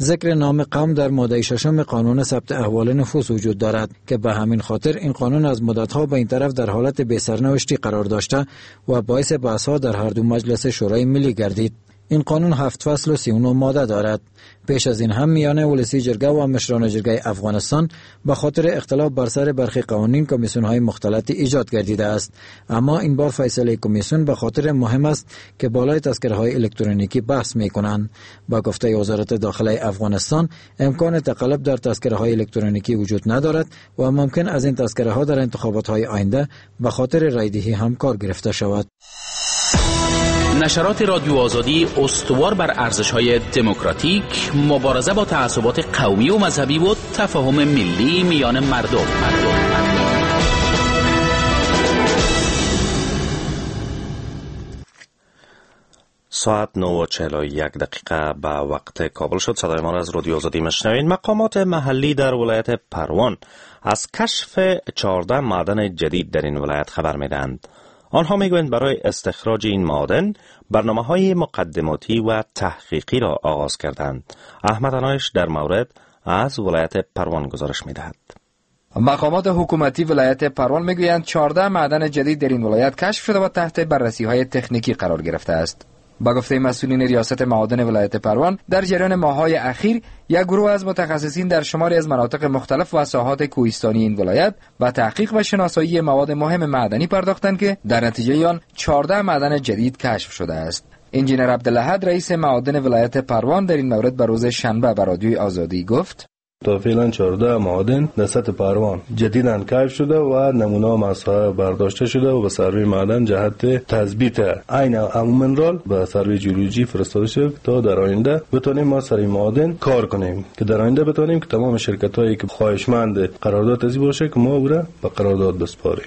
ذکر نام قوم در ماده 6 قانون ثبت احوال نفوس وجود دارد که به همین خاطر این قانون از مدت‌ها به این طرف در حالت بی‌سرنوشتی قرار داشته و باعث بحث‌ها در هر دو مجلس شورای ملی گردید. این قانون 7 فصل و 39 ماده دارد. پیش از این هم میان ولسی جرگه و مشران جرگه افغانستان به خاطر اختلاف بر سر برخی قوانین کمیسیون‌های مختلط ایجاد گردیده است. اما این بار فیصله کمیسیون به خاطر مهم است که بالای تذکره‌های الکترونیکی بحث می‌کنند. با گفته وزارت داخله افغانستان امکان تقلب در تذکره‌های الکترونیکی وجود ندارد و ممکن از این تذکره‌ها در انتخابات‌های آینده به خاطر رای‌دهی هم کار گرفته شود. نشرات رادیو آزادی استوار بر ارزش‌های دموکراتیک، مبارزه با تعصبات قومی و مذهبی و تفاهم ملی میان مردم. ساعت 9:41 به وقت کابل شد. صدای ما را از رادیو آزادی مشنوین. مقامات محلی در ولایت پروان از کشف 14 معدن جدید در این ولایت خبر می‌دهند. آنها میگویند برای استخراج این معادن برنامه‌های مقدماتی و تحقیقی را آغاز کردند. احمد انایش در مورد از ولایت پروان گزارش می‌دهد. مقامات حکومتی ولایت پروان میگویند 14 معدن جدید در این ولایت کشف شده و تحت بررسی‌های تکنیکی قرار گرفته است. با گفته مسئولین ریاست معادن ولایت پروان، در جریان ماه‌های اخیر یک گروه از متخصصین در شماری از مناطق مختلف و ساحات کوهستانی این ولایت به تحقیق و شناسایی مواد مهم معدنی پرداختند که در نتیجه آن 14 معدن جدید کشف شده است. انجینر عبدالحد رئیس معادن ولایت پروان در این مورد به روز شنبه به رادیوی آزادی گفت: تا فعلا 14 معادن در سطح پروان جدیداً کشف شده و نمونه مساحه برداشته شده و به سروی معدن جهت تثبیت عین امو منرال به سروی جیولوژی فرستاده شده تا در آینده بتونیم ما سر معادن کار کنیم، که در آینده بتونیم که تمام شرکت هایی که خواهشمند قرارداد ازی باشه که ما او را به قرارداد بسپاریم.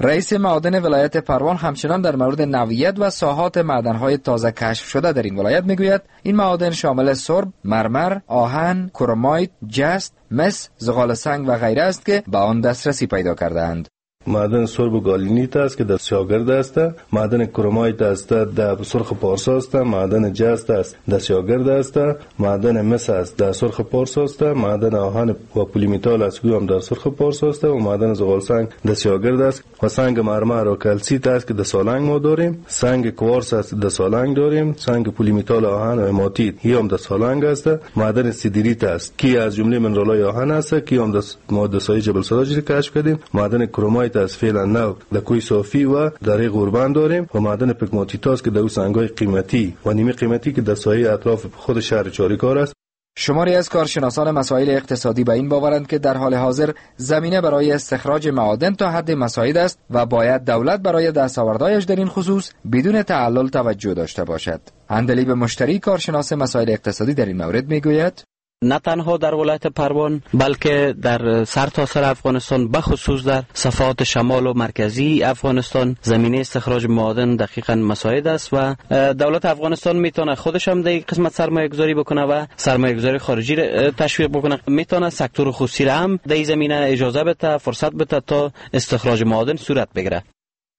رئیس معادن ولایت پروان همچنان در مورد نوعیت و ساحات معدن‌های تازه کشف شده در این ولایت میگوید این معادن شامل سرب، مرمر، آهن، کرومایت، جست، مس، زغال سنگ و غیره است که به آن دسترسی پیدا کرده‌اند. معدن سرب و گالینیت است که در سیاگرد است، معدن کرومایت است در سرخ پارسا است، معدن جست است در سیاگرد است، معدن مس است در سرخ پارسا است، معدن آهن و پلیمیتال است که هم در سرخ پارسا است و معدن زغال سنگ در سیاگرد است و سنگ مرمر و کلسیت است که در سالنگ ما داریم، سنگ کوارتز است در سالنگ داریم، سنگ پلیمیتال آهن و هماتیت هم در سالنگ است، معدن سیدریت است که از جمله منرال‌های آهن است که هم در ماده سایه جبل سراج کشف کردیم، معدن کرومایت از فعلا نو در کوی صافی و در غوربند داریم و معدن پگماتیت که در او سنگ‌های قیمتی و نیمه قیمتی که در ساحه اطراف خود شهر چاریکار است. شماری از کارشناسان مسائل اقتصادی به این باورند که در حال حاضر زمینه برای استخراج معادن تا حد مساعد است و باید دولت برای دستاوردهایش در این خصوص بدون تعلل توجه داشته باشد. اندلیب مشتری کارشناس مسائل اقتصادی در این مورد میگوید: نه تنها در ولایت پروان بلکه در سرتاسر افغانستان، بخصوص در صفحات شمال و مرکزی افغانستان، زمینه استخراج معادن دقیقاً مساعد است و دولت افغانستان میتونه خودش هم در قسمت سرمایه گذاری بکنه و سرمایه گذاری خارجی را تشویق بکنه، میتونه سکتور خصوصی را هم در این زمینه اجازه بده، فرصت بده تا استخراج معادن صورت بگیره.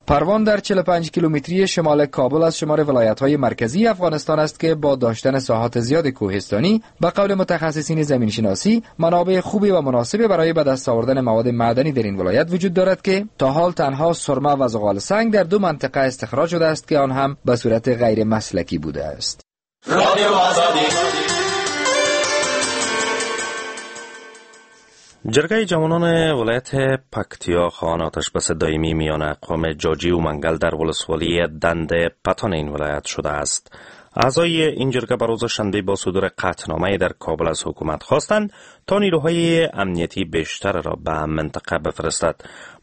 پروان در 45 کیلومتری شمال کابل از شمار ولایت‌های مرکزی افغانستان است که با داشتن ساحات زیاد کوهستانی به قول متخصصین زمینشناسی منابع خوبی و مناسبی برای به دست آوردن مواد معدنی در این ولایت وجود دارد که تا حال تنها سرمه و زغال سنگ در دو منطقه استخراج شده است که آن هم به صورت غیر مسلکی بوده است. جرگه جوانان ولایت پکتیا خواهان آتش بس دائمی میان اقوام جاجی و منگل در ولسوالی دند پتان این ولایت شده است. اعضای این جرگه بر روز شنبه با صدور قطعنامه در کابل از حکومت خواستند تا نیروهای امنیتی بیشتر را به منطقه بفرستد.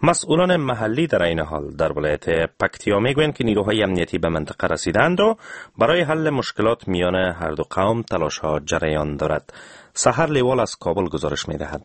مسئولان محلی در این حال در ولایت پکتیا میگویند که نیروهای امنیتی به منطقه رسیدند و برای حل مشکلات میان هر دو قوم تلاش‌ها جریان دارد. سحر لیوال از کابل گزارش می‌دهد.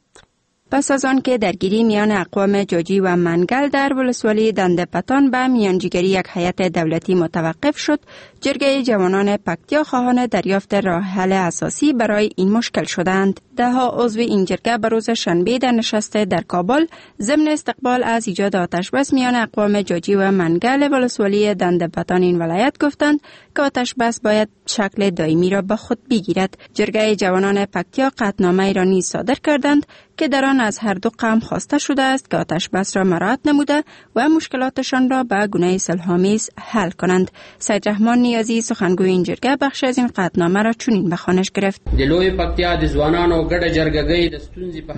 پس از آن که درگیری میان اقوام جاجی و منگل در ولسوالی دندپتان به میانجیگری یک هیئت دولتی متوقف شد، جرگه جوانان پکتیا خواهان دریافت راه حل اساسی برای این مشکل شدند. ده‌ها عضو این جرگه به روز شنبه در نشست در کابل ضمن استقبال از ایجاد آتش‌بس میان اقوام جاجی و منگل ولسوالی دندپتان این ولایت گفتند که آتش‌بس باید شکل دائمی را به خود بگیرد. جرگه جوانان پکتیا قطعنامه را نیز صادر کردند که در آن از هر دو قوم خواسته شده است که آتش بس را مراعات نموده و مشکلاتشان را به گونه صلح‌آمیز حل کنند. سید رحمان نیازی سخنگوی این جرگه بخش از این قطعنامه را چنین به خوانش گرفت: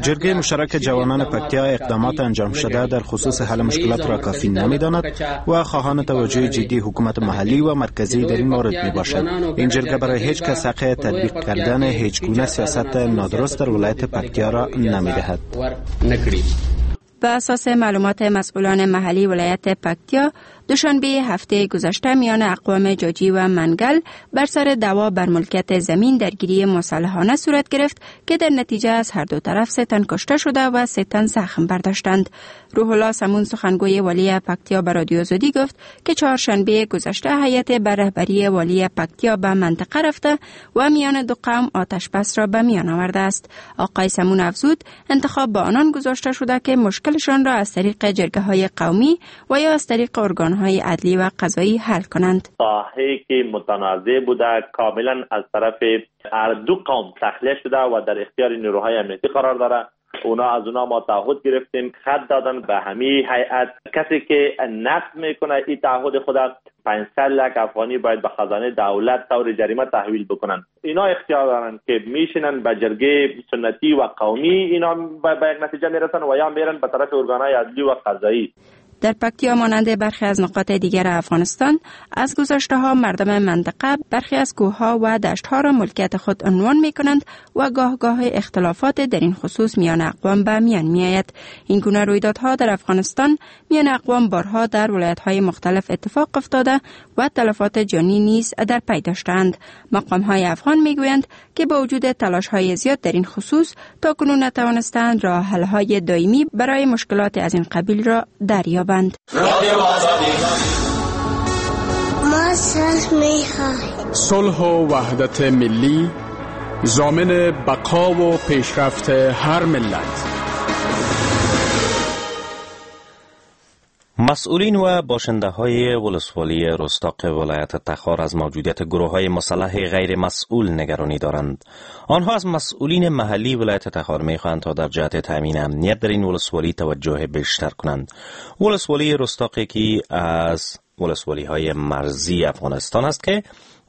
جرگه مشترک جوانان پکتیا اقدامات انجام شده در خصوص حل مشکلات را کافی نمی‌داند و خواهان توجه جدی حکومت محلی و مرکزی در این مورد می‌باشد. این جرگه برای هیچ کس حق تطبیق کردن هیچ گونه سیاست نادرست در ولایت پکتیا را نمی‌دهد. به اساس معلومات مسئولان محلی ولایت پکتیا، دوشنبه هفته گذشته میان اقوام جاجی و منگل بر سر دعوا بر ملکیت زمین درگیری مسلحانه صورت گرفت که در نتیجه از هر دو طرف 3 تن کشته شده و 3 تن زخم برداشتند. روح الله سمون سخنگوی والی پکتیا به رادیو آزادی گفت که چهارشنبه گذشته هیئت بر رهبری والی پکتیا به منطقه رفته و میان دو قوم آتش بس را به میان آورده است. آقای سمون افزود انتخاب به آنان گذاشته شده که مشکلشان را از طریق جرگه های قومی و یا از طریق ارگان های عدلی و قضایی حل کنند. ساحه که متنازع بوده کاملا از طرف هر دو قوم تخلیه شده و در اختیار نیروهای امنیتی قرار داره. اونا از اونا ما تعهد گرفتیم، خط دادن به همه هیئت. کسی که نقض میکنه این تعهد خود 500 لک افغانی باید به خزانه دولت طور جریمه تحویل بکنن. اینا اختیار دارن که میشینن به جرگه سنتی و قومی، اینا به یک نتیجه میرسن و یا میرن به طرف ارگانهای عدلی و قضایی. در پکتیا مانند برخی از نقاط دیگر افغانستان از گذشته ها مردم منطقه برخی از کوه‌ها و دشت‌ها را ملکیت خود عنوان می‌کنند و گاه گاه اختلافات در این خصوص میان اقوام به میان می‌آید. این گونه رویدادها در افغانستان میان اقوام بارها در ولایت‌های مختلف اتفاق افتاده و تلفات جانی نیز در پی داشتند. مقام‌های افغان می‌گویند که با وجود تلاش‌های زیاد در این خصوص تاکنون نتوانستند راه حل‌های دائمی برای مشکلات از این قبیل را دریابند. ما صلح می‌خواهیم. صلح و وحدت ملی ضامن بقا و پیشرفت هر ملت. مسئولین و باشنده های ولسوالی رستاق ولایت تخار از موجودیت گروه های مسلح غیر مسئول نگرانی دارند. آنها از مسئولین محلی ولایت تخار میخواهند تا در جهت تامین امنیت در این ولسوالی توجه بیشتر کنند. ولسوالی رستاق یکی از ولسوالی های مرزی افغانستان است که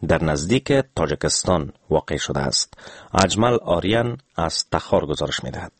در نزدیک تاجکستان واقع شده است. اجمل آریان از تخار گزارش میدهد.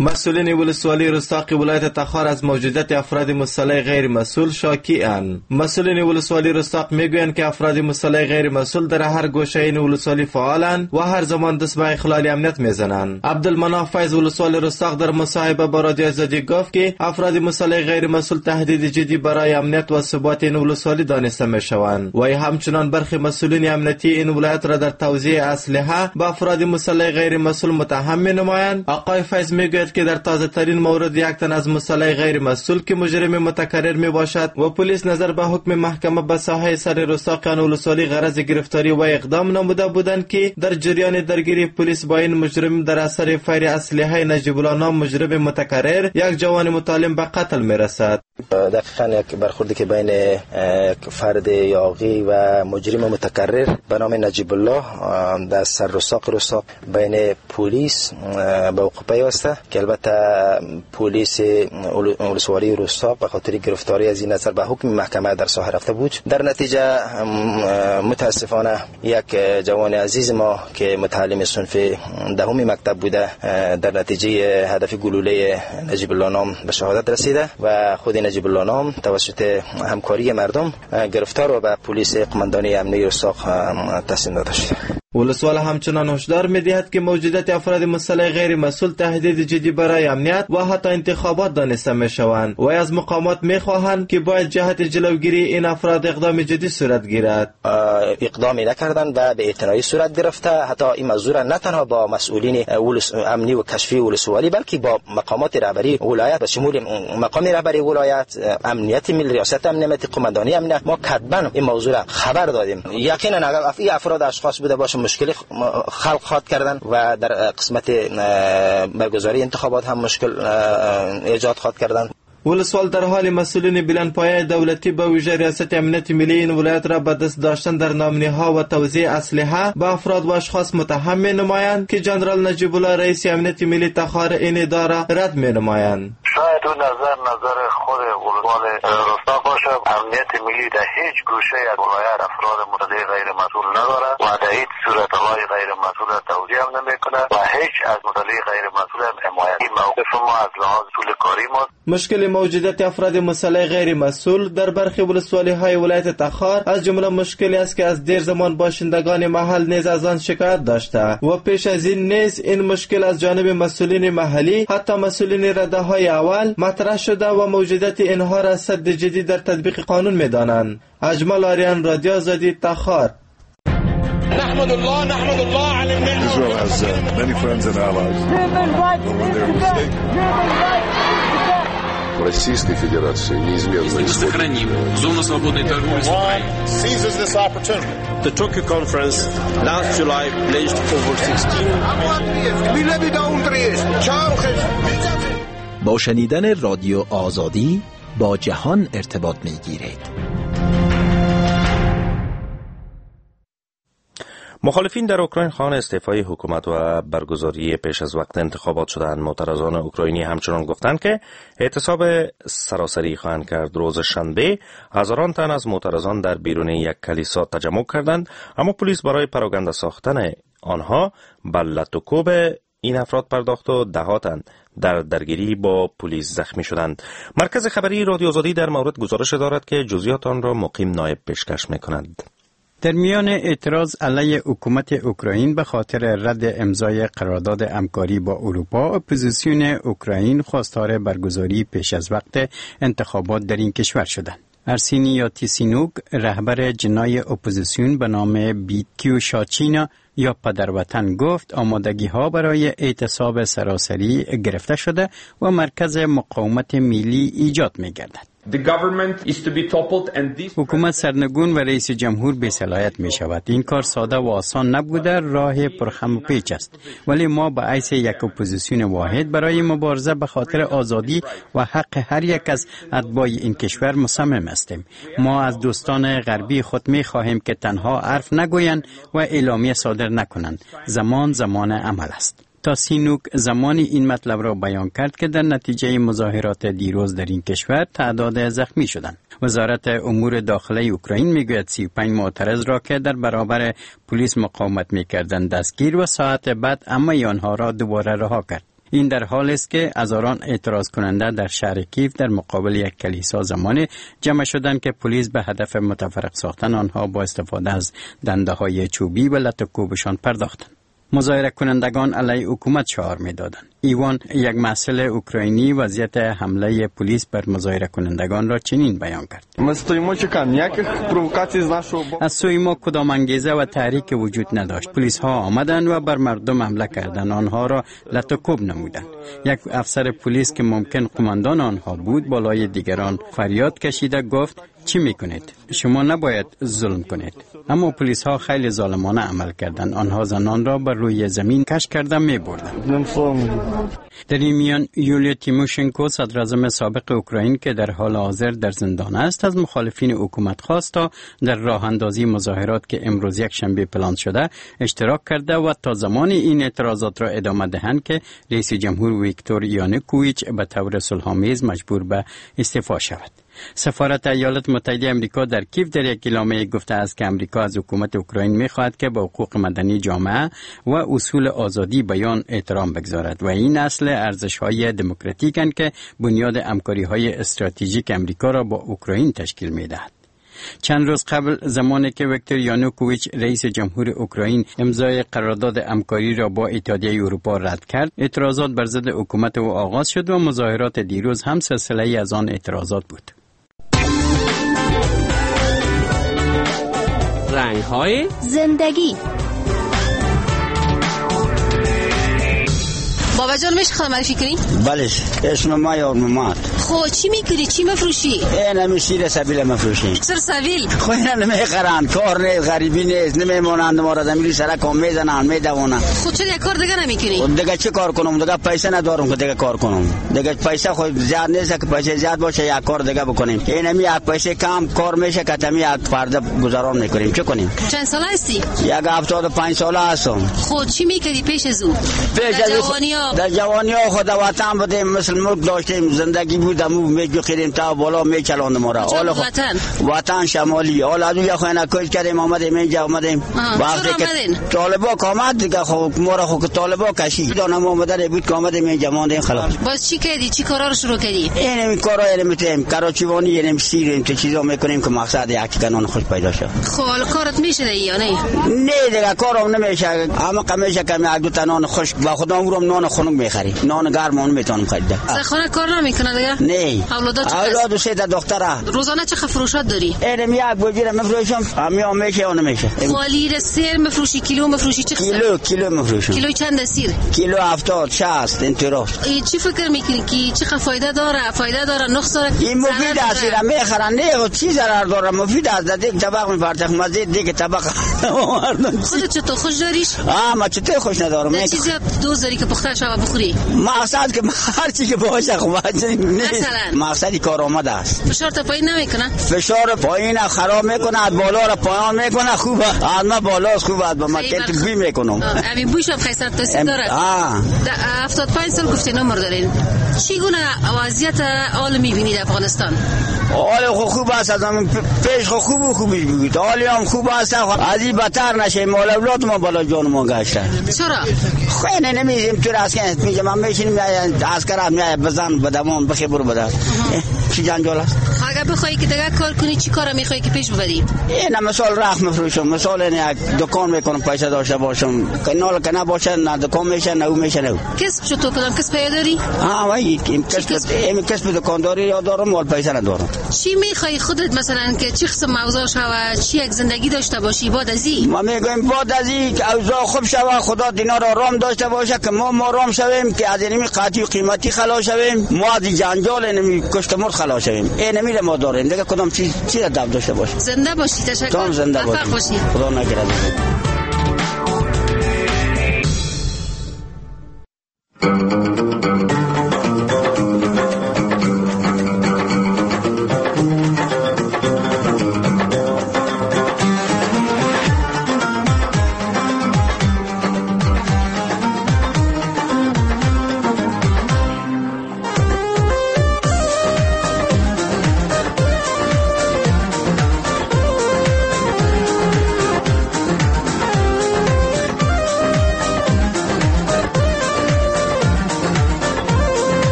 مسئولین ولسوالی رستاق ولایت تخار از موجودیت افراد مسلح غیر مسئول شاکی اند. مسئولین ولسوالی رستاق میگویند که افراد مسلح غیر مسئول در هر گوشه این ولسوالی فعالند و هر زمان دست به اخلال امنیت میزنند. عبدالمناف فیض ولسوال رستاق در مصاحبه با رادیو آزادی گفت که افراد مسلح غیر مسئول تهدید جدی برای امنیت و ثبات این ولسوالی دانسته میشوند و همچنان برخی مسئولین امنیتی این ولایت را در توزیع اسلحه به افراد مسلح غیر مسئول متهم مینمایند. آقای فیض میگوید که در تازه ترین مورد یک تن از مسلح غیر مسئول که مجرم متکرر می باشد و پلیس نظر به حکم محکمه به ساحه سر رستاق آن ولسوالی غرض گرفتاری و اقدام نموده بودند که در جریان درگیری پلیس با این مجرم در اثر فیر اسلحه نجیب الله نام مجرم متکرر یک جوان متعلم به قتل می رسد. دقیقاً یک برخوردی که بین یک فرد یاغی و مجرم متکرر به نام نجیب الله در سر رستاق بین پلیس به وقوع پیوسته که البته پلیس ولسوالی رستاق به خاطر گرفتاری از این نظر به حکم محکمه در ساحه رفته بود. در نتیجه متاسفانه یک جوان عزیز ما که متعلم صنف دهم مکتب بوده در نتیجه هدف گلوله نجیب الله نام به شهادت رسیده و خود نجیب الله نام توسط همکاری مردم گرفتار و به پلیس قماندانی امنیتی رستاق تسلیم داده شد. ولسوال همچنان هشدار می‌دهد که موجودیت افراد مسلح غیر مسئول تهدید جدی برای امنیت و حتی انتخابات دانسته می‌شوند و از مقامات می‌خواهند که باید جهت جلوگیری این افراد اقدام جدی صورت گیرد. اقدامی نکردند و به اعتنایی صورت گرفته. حتی این موضوع نه تنها با مسئولین امنی و کشفی ولسوالی بلکه با مقامات رهبری ولایت به شمول مقام رهبری ولایت، امنیت ملی، ریاست امنیت، قماندانی امنیت، ما کتباً این موضوع را خبر دادیم. یقینا اگر این افراد اشخاص بوده باشه مشکل خلق خواد کردن و در قسمت برگزاری انتخابات هم مشکل ایجاد خواد کردن. ولسوال در حال مسئولین بلندپایه دولتی به ویژه ریاست امنیت ملی این ولایت را به دست داشتن در نامنی‌ها و توزیع اسلحه به افراد و اشخاص متهم می‌نمایند که جنرال نجیب الله رئیس امنیت ملی تخار این اداره رد می‌نمایند. شاید اون نظر خود ولسوال رستاق باشه. امنیت ملی در هیچ گوشه از ولایت افراد متدین غیر مسئول نداره و در هیچ صورت های غیر مسئول توزیع هم نمی‌کنه و هیچ از متدین غیر مسئول هم حمایت. این موقف ما از لحاظ طول کاری ما. مشکل موجودیت افراد مسلح غیر مسئول در برخی ولسوالی‌های ولایت تخار از جمله مشکلی است که از دیر زمان باشندگان محل نیز از آن شکایت داشته و پیش از این نیز این مشکل از جانب مسئولین محلی حتی مسئولین رده‌های اول مطرح شده و موجودیت اینها را سد جدی در تطبیق قانون می‌دانند. اجمل آریان، رادیو آزادی، تخار. نحمد الله نحمد الله على النعمة. Israel has many friends and allies. But when they're mistaken, Российской Федерации неизменно сохраним зону свободной торговли с Украиной. The Tokyo conference last July pledged over 16. با شنیدن رادیو آزادی با جهان ارتباط می‌گیرید. مخالفین در اوکراین خواهان استعفای حکومت و برگزاری پیش از وقت انتخابات شدند. معترضان اوکراینی همچنان گفتند که اعتصاب سراسری خواهند کرد. روز شنبه هزاران تن از معترضان در بیرون یک کلیسا تجمع کردند، اما پلیس برای پراگنده ساختن آنها به لت و کوب این افراد پرداخت و ده تن در درگیری با پلیس زخمی شدند. مرکز خبری رادیو آزادی در مورد گزارش دارد که جزئیات آن را مقیم نایب پیشکش می‌کند. در میان اعتراض علیه حکومت اوکراین به خاطر رد امضای قرارداد همکاری با اروپا، اپوزیسیون اوکراین خواستار برگزاری پیش از وقت انتخابات در این کشور شدند. ارسینی یاتسنیوک، رهبر جناح اپوزیسیون به نام بیتکیوشاچینا یا پدر وطن، گفت آمادگی ها برای اعتصاب سراسری گرفته شده و مرکز مقاومت ملی ایجاد می گردد. حکومت سرنگون و رئیس جمهور بی صلاحیت می شود. این کار ساده و آسان نبوده، راه پرخم و پیچ است، ولی ما به حیث یک اپوزیسیون واحد برای مبارزه به خاطر آزادی و حق هر یک از اتباع این کشور مصمم هستیم. ما از دوستان غربی خود می خواهیم که تنها حرف نگویند و اعلامیه صادر نکنند. زمان زمان عمل است. تاسینوک زمانی این مطلب را بیان کرد که در نتیجه مظاهرات دیروز در این کشور تعداد زخمی شدند. وزارت امور داخله اوکراین میگوید 35 معترض را که در برابر پلیس مقاومت میکردند دستگیر و ساعت بعد اما آنها را دوباره رها کرد. این در حال است که هزاران اعتراض کننده در شهر کیف در مقابل یک کلیسا زمانی جمع شدند که پلیس به هدف متفرق ساختن آنها با استفاده از دنده های چوبی و لت و کوبشان پرداختند. مظاهره کنندگان علیه حکومت شعار میدادند. ایوان، یک محصل اوکراینی، وضعیت حمله پلیس بر مظاهره کنندگان را چنین بیان کرد: از سوی ما کدام انگیزه و تحریک وجود نداشت. پلیس ها آمدند و بر مردم حمله کردند، آنها را لت و کوب نمودند. یک افسر پلیس که ممکن قماندان آنها بود بالای دیگران فریاد کشیده گفت چی میکنید؟ شما نباید ظلم کنید. اما پلیس ها خیلی ظالمانه عمل کردند. آنها زنان را بر روی زمین کش کرده می بردند. در این میان یولیا تیموشنکو، صدراعظم سابق اوکراین که در حال حاضر در زندان است، از مخالفین حکومت خواست تا در راه اندازی مظاهرات که امروز یک شنبه پلان شده اشتراک کرده و تا زمان این اعتراضات را ادامه دهند که رئیس جمهور ویکتور یانوکوویچ به طور صلح‌آمیز مجبور به استعفا شود. سفارت ایالات متحده امریکا در کیف در یک اعلامیه گفته است که امریکا از حکومت اوکراین می‌خواهد که به حقوق مدنی جامعه و اصول آزادی بیان احترام بگذارد و این اصل ارزش‌های دموکراتیکند که بنیاد همکاری‌های استراتژیک امریکا را با اوکراین تشکیل می‌دهد. چند روز قبل، زمانی که ویکتور یانوکوویچ رئیس جمهور اوکراین امضای قرارداد همکاری را با اتحادیه اروپا رد کرد، اعتراضات بر ضد حکومت او آغاز شد و مظاهرات دیروز هم سلسله‌ای از آن اعتراضات بود. رنگ‌های زندگی. بابا جان، میشه خود معرفی کنی؟ بله، اسم ما یار محمد. خب چی میکنی؟ چی مفروشی؟ اینمی سیر سبیل مفروشی. سیر سبیل؟ خب اینا نمیخرن، کار نیست، غریبی نیست، نمیمونند ما را زمین سرک هم میزنن، میدوانن. خب چرا یک کار دیگه نمیکنی؟ دیگه چی کار کنم؟ دیگه پیسه ندارم که دیگه کار کنم. دیگه پیسه خود زیاد نیست که پیسه زیاد باشه یک کار دیگه بکنیم. اینمی یک پیسه کم کار میشه که تمی یک پرده گذران میکنیم. چه کنیم؟ چند ساله هستی؟ 75 ساله هستم. خب چی میکردی پیش از او؟ پیش از در جوانی ها خود وطن بودیم، مثل ملک داشتیم، زندگی بود، امو میجوخیدیم تا بالا میچلاند ما را. وطن وطن شمالی. حالا از اونجا خو کوچ کردیم آمدیم اینجا آمدیم. وقتی که طالبا آمد دیگه خب ما را خو طالبا کشید. دانم آمده بود که آمدیم اینجا ماندیم خلاص. باز چی کردی؟ چی کارا رو شروع کردی؟ این کارا رو میتیم، کراچیوانی اینم سیر این چیزا میکنیم که مقصد یک کنون خوش پیدا شد. خب حالا کارت میشه یا نه؟ نه دیگه کارم نمیشه. اما کمیشه کمی یک دو تا نان خشک با خودم رو نان خنک میخریم، نان گرم اون میتونم خریده. خانه کار نمیکنه دیگه؟ نه. اولاد سه تا دختره. روزانه چه فروشات داری؟ اینم یک بوجی مفروشم، همین میشه اون میشه. خالی سیر مفروشی، کیلو مفروشی چه؟ کیلو مفروشم. کیلو چند سیر؟ کیلو 70 60 اینطور. چی فکر میکنی که چه فایده داره؟ فایده داره نقص داره؟ این مفید است، میخرن نه چی ضرر داره؟ مفید است. دیگه طبق میپرتخ مزید دیگه طبق. خودت چطور خوش داریش؟ ما چطور خوش ندارم. چیزی دوست داری که پخته شوه بخوری؟ مقصد که هر چی که باشه خب مثلا مقصد کار آمده است. فشار تا پایین نمیکنه؟ فشار پایین خراب میکنه، از بالا را پایان میکنه. خوبه از ما بالا خوبه، از ما که بوی میکنم. همین بویش هم خیلی تاثیر داره. 75 سال گفتین عمر دارین. چگونه وضعیت حال میبینید افغانستان؟ حال خوب است، از پیش خوب خوبی بود. حال هم خوب است، از این بدتر نشه. مال اولاد ما بالا جان ما گشته. چرا؟ خیلی نمیزیم تو راست که میگم من میشینیم عسکر میای بزن بدمون بخی برو بده. چی جنجال است؟ اگه بخوای که دیگه کار کنی چی کارا میخوای که پیش ببری؟ این مثال رخ مفروشم، مثال یک دکان میکنم پیسه داشته باشم، کنال کنه باشه نه دکان میشه نه او میشه نه. کسب چطور کدام کسب پیدا داری؟ وای این کسب دکانداری یا دارم ولی پیسه ندارم. چی میخوای خودت مثلا که چی قسم اوضاع شوه، چی یک زندگی داشته باشی بعد از این؟ ما میگیم بعد از این که اوضاع خوب شوه، خدا دینا را آرام داشته باشه که ما آرام شویم، که از اینمی قاطی و قیمتی خلاص شویم، ما از جنجال اینمی کشت مرد خلاص شویم. اینمی ما داریم دیگه، کدام چیز چی را دب داشته باشه. زنده باشی، تشکر. زنده باشی، خدا نگهدار.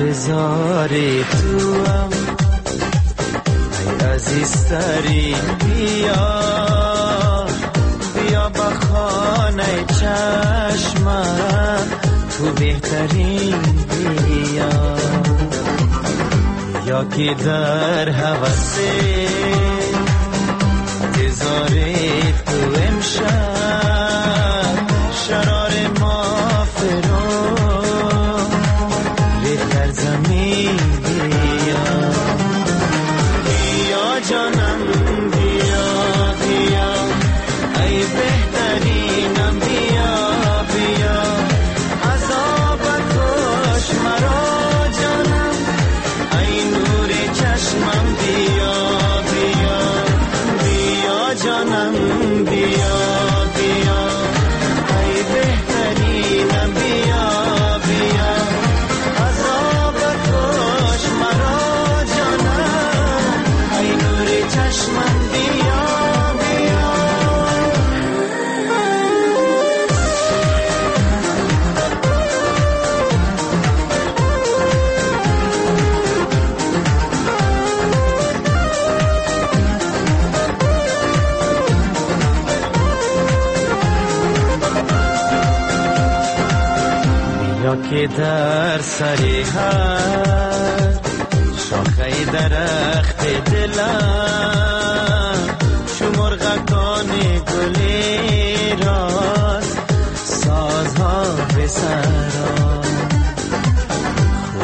انتظار توام ای عزیزترین، بیا بیا با خانه چشمم تو بهترین، بیا یا که در هوس انتظار تو امشب شرار ما فرو ریخت زمین، بیا بیا جانم بیا بیا ای بهترین. یا که در سر هر شاخه درخت دلم چو مرغکان گلی راست سازها به سرا.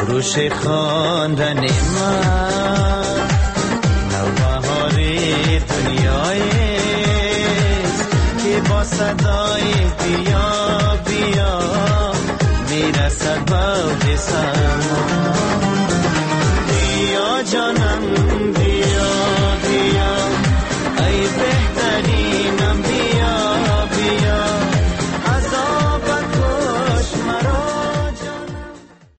خروش خواندن من نوبهار دنیایست که با صدای بیا بیا میرسد به سما. بیا جانم